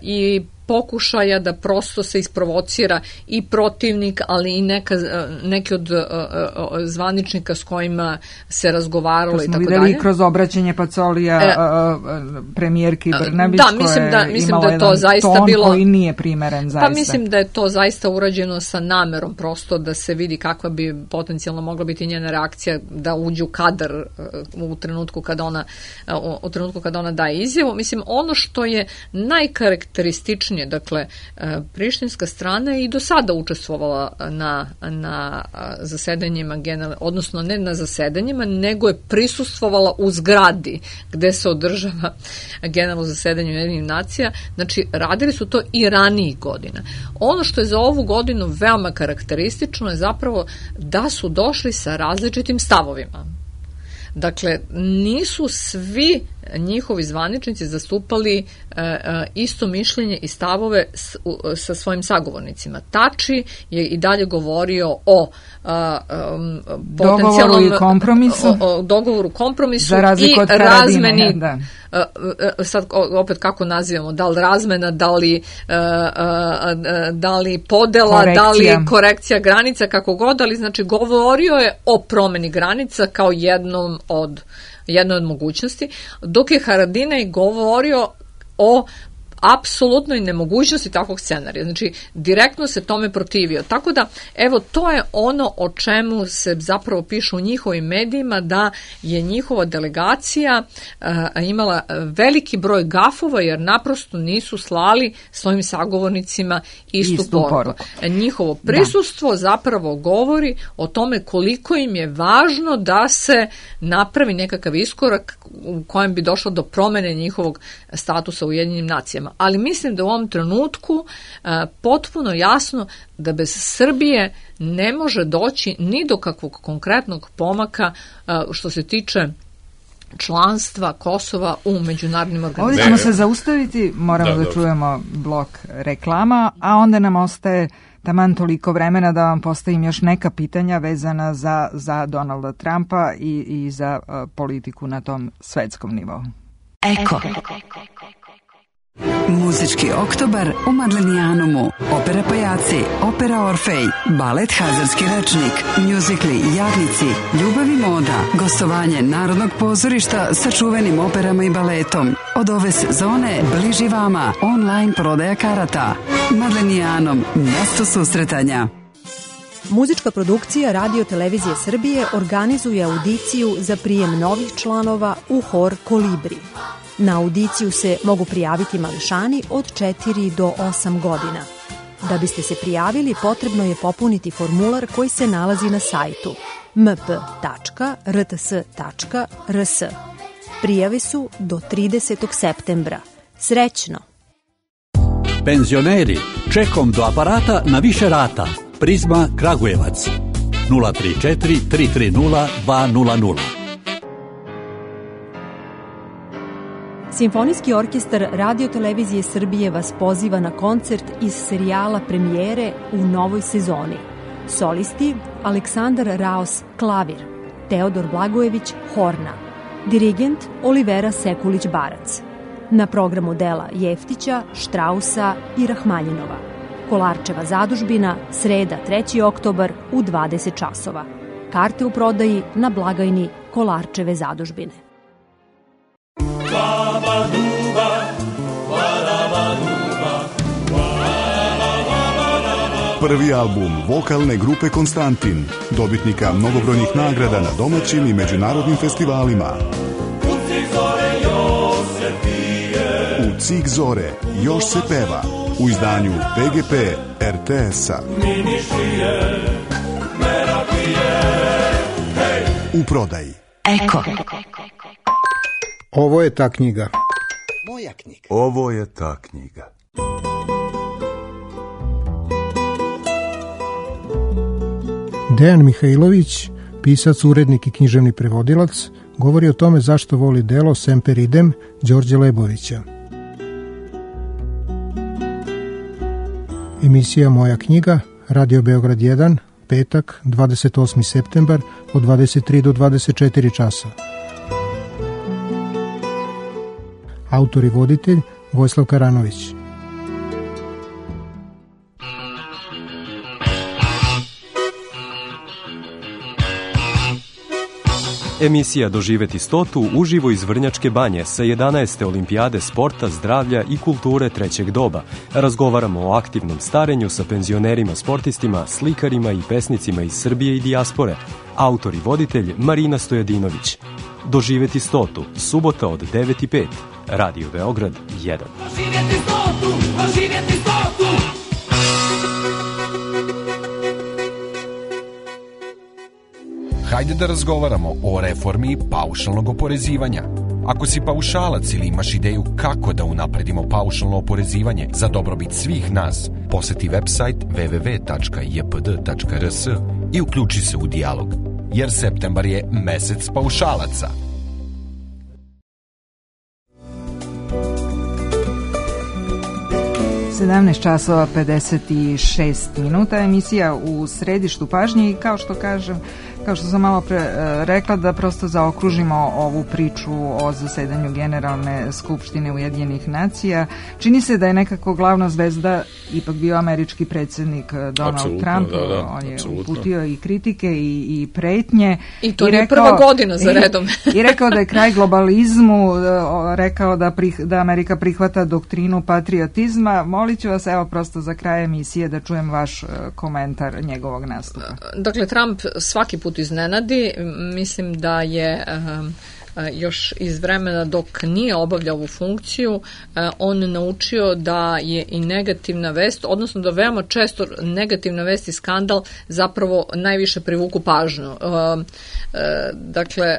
i pokušaja da prosto se isprovocira i protivnik, ali i neki od zvaničnika s kojima se razgovaralo i tako dalje. To smo videli kroz obraćanje Pacolija premijerki Brnabić, koja je imala jedan ton koji nije primeren zaista. Pa mislim da je to zaista urađeno sa namerom, prosto da se vidi kakva bi potencijalno mogla biti njena reakcija da uđe u kadar u trenutku kada ona daje izjavu. Mislim, ono što je najkarakterističnije, dakle, prištinska strana je i do sada učestvovala na zasedanjima, odnosno ne na zasedanjima, nego je prisustvovala u zgradi gde se održava generalno zasedanje Ujedinjenih nacija. Znači, radili su to i ranijih godina. Ono što je za ovu godinu veoma karakteristično je zapravo da su došli sa različitim stavovima. Dakle, nisu svi njihovi zvaničnici zastupali isto mišljenje i stavove sa svojim sagovornicima. Tači je i dalje govorio o dogovoru, kompromisu i razmeni. Sad opet kako nazivamo, da li razmena, da li podela, da li korekcija granica, kako god, ali znači govorio je o promeni granica kao jednoj od mogućnosti, dok je Haradinaj govorio o apsolutnoj nemogućnosti takvog scenarija. Znači, direktno se tome protivio. Tako da, evo, to je ono o čemu se zapravo piše u njihovim medijima, da je njihova delegacija imala veliki broj gafova, jer naprosto nisu slali svojim sagovornicima istu poruku. Njihovo prisustvo zapravo govori o tome koliko im je važno da se napravi nekakav iskorak u kojem bi došlo do promene njihovog statusa u Ujedinjenim nacijama. Ali mislim da u ovom trenutku potpuno jasno da bez Srbije ne može doći ni do kakvog konkretnog pomaka što se tiče članstva Kosova u međunarodnim organizacijama. Ovdje ćemo se zaustaviti, moramo da čujemo blok reklama, a onda nam ostaje taman toliko vremena da vam postavim još neka pitanja vezana za Donalda Trumpa i za politiku na tom svetskom nivou. Eko. Muzički oktobar u Madlenijanumu. Opera Pajaci, opera Orfej, balet Hazarski rečnik, mjuzikli Jadnici, Ljubav i moda, gostovanje Narodnog pozorišta sa čuvenim operama i baletom. Od ove sezone bliži vama online prodaja karata. Madlenijanum, mjesto susretanja. Muzička produkcija Radio Televizije Srbije organizuje audiciju za prijem novih članova u hor Kolibri. Na audiciju se mogu prijaviti mališani od 4 do 8 godina. Da biste se prijavili, potrebno je popuniti formular koji se nalazi na sajtu mp.rts.rs. Prijave su do 30. septembra. Srećno! Penzioneri, čekom do aparata na više rata. Prizma Kragujevac 034 330 200. Simfonijski orkestar Radio Televizije Srbije vas poziva na koncert iz serijala premijere u novoj sezoni. Solisti Aleksandar Raos klavir, Teodor Blagojević horna, dirigent Olivera Sekulić-Barac. Na programu dela Jeftića, Štrausa i Rahmaljinova. Kolarčeva zadužbina, sreda 3. oktobar u 20 časova. Karte u prodaji na blagajni Kolarčeve zadužbine. Babaduba, barabaduba, Prvi album vokalne grupe Konstantin, dobitnika mnogobrojnih nagrada na domaćim i međunarodnim festivalima. U Cik zore još se peva u izdanju PGP RTS-a. U prodaji. Eko. Ovo je ta knjiga. Moja knjiga. Ovo je ta knjiga. Dejan Mihajlović, pisac, urednik i književni prevodilac, govori o tome zašto voli delo Semper idem Đorđe Lebovića. Emisija Moja knjiga, Radio Beograd 1, petak, 28. septembar, od 23 do 24 časa. Autor i voditelj Vojislav Karanović. Emisija Doživeti 100 uživo iz Vrnjačke banje sa 11. olimpijade sporta, zdravlja i kulture trećeg doba. Razgovaramo o aktivnom starenju sa penzionerima, sportistima, slikarima i pesnicima iz Srbije i dijaspore. Autor i voditelj Marina Stojadinović. Doživeti 100, subota od 9:05. Radio Beograd 1. Doživeti 100, doživeti 100. Hajde da razgovaramo o reformi paušalnog oporezivanja. Ako si paušalac ili imaš ideju kako da unapredimo paušalno oporezivanje za dobrobit svih nas, poseti website www.jpd.rs i uključi se u dijalog, jer septembar je mesec paušalaca. časova 56 minuta, emisija u središtu pažnje i kao što sam malo pre rekla, da prosto zaokružimo ovu priču o zasedanju Generalne skupštine Ujedinjenih nacija. Čini se da je nekako glavna zvezda ipak bio američki predsjednik Donald Trump. On je uputio i kritike i pretnje. I to je prva godina za redom. I rekao da je kraj globalizmu, rekao da Amerika prihvata doktrinu patriotizma. Molit ću vas, evo, prosto za kraj emisije da čujem vaš komentar njegovog nastupa. Dakle, Trump svaki put iznenadi. Mislim da je još iz vremena dok nije obavljao ovu funkciju, on naučio da je i negativna vest, odnosno da veoma često negativna vest i skandal zapravo najviše privuku pažnju. Dakle,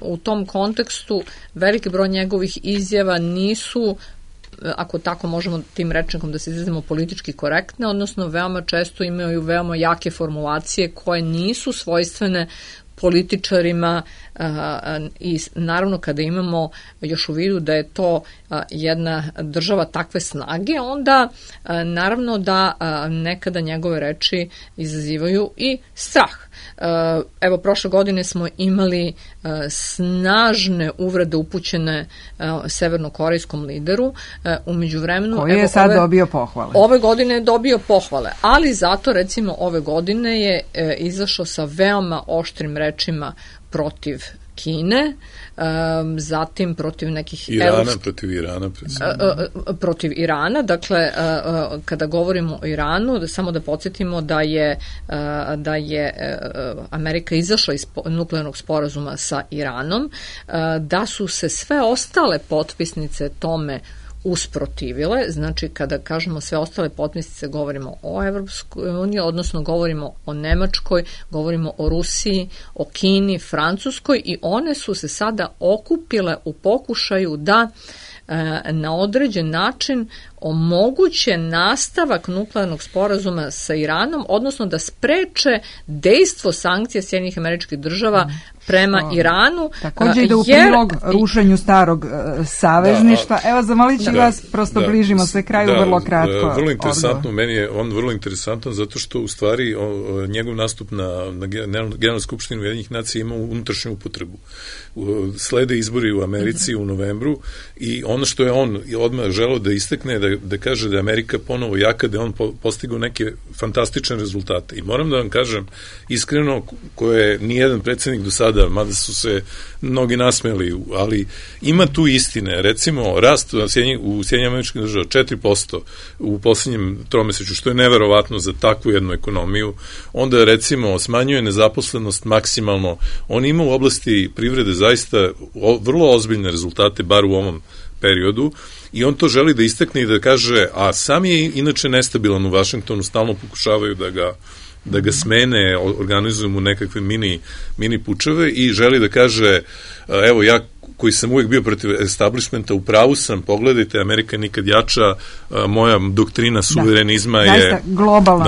u tom kontekstu veliki broj njegovih izjava nisu, ako tako možemo tim rečnikom da se izrazimo, politički korektne, odnosno veoma često imaju veoma jake formulacije koje nisu svojstvene političarima i naravno kada imamo još u vidu da je to jedna država takve snage, onda naravno da nekada njegove reči izazivaju i strah. Evo, prošle godine smo imali snažne uvrede upućene severnokorejskom lideru. U međuvremenu, koji je sad dobio pohvale. Ove godine je dobio pohvale, ali zato recimo ove godine je izašao sa veoma oštrim rečima protiv Kine, zatim protiv nekih protiv Irana. Dakle, kada govorimo o Iranu, samo da podsjetimo da je Amerika izašla iz nuklearnog sporazuma sa Iranom, da su se sve ostale potpisnice tome usprotivile. Znači, kada kažemo sve ostale potpisnice, govorimo o Evropskoj uniji, odnosno govorimo o Nemačkoj, govorimo o Rusiji, o Kini, Francuskoj, i one su se sada okupile u pokušaju da na određen način omoguće nastavak nuklearnog sporazuma sa Iranom, odnosno da spreče dejstvo sankcija Sjedinjenih Američkih Država prema Iranu. Također ide u prilog rušenju starog savezništva. Evo, zamolit ću vas, prosto bližimo se kraju, vrlo kratko. Vrlo interesantno, meni je on vrlo interesantan zato što u stvari njegov nastup na Generalnoj skupštini Ujedinjenih nacija ima unutrašnju upotrebu. Slede izbori u Americi u novembru i ono što je on odmah želeo da istakne, da da kaže da je Amerika ponovo jaka, da je on postigao neke fantastične rezultate. I moram da vam kažem, iskreno, koje nijedan predsjednik do sada, mada su se mnogi nasmeli, ali ima tu istine. Recimo, rast u Sjedinjenim Američkim Državama 4% u poslednjem tromesečju, što je neverovatno za takvu jednu ekonomiju. Onda, recimo, smanjuje nezaposlenost maksimalno. On ima u oblasti privrede zaista vrlo ozbiljne rezultate, bar u ovom periodu, i on to želi da istakne i da kaže, a sam je inače nestabilan u Vašingtonu, stalno pokušavaju da ga smene, organizuju mu nekakve mini pučeve i želi da kaže, evo ja koji sam uvijek bio protiv establishmenta, u pravu sam, pogledajte, Amerika je nikad jača, moja doktrina suverenizma je... Zaista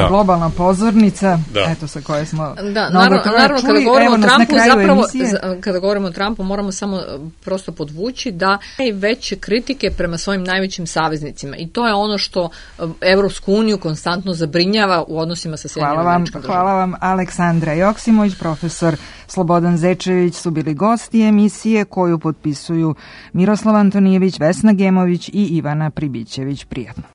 globalna pozornica, eto sa koje smo naravno, kada govorimo o Trumpu, zapravo, kada govorimo o Trumpu, moramo samo prosto podvući da najveće kritike prema svojim najvećim saveznicima i to je ono što Evropsku uniju konstantno zabrinjava u odnosima sa Sjedinjenim Američkim Državama. Hvala vam, Aleksandra Joksimović, profesor Slobodan Zečević su bili gosti emisije koju potpisuju Miroslav Antonijević, Vesna Gemović i Ivana Pribićević. Prijatno.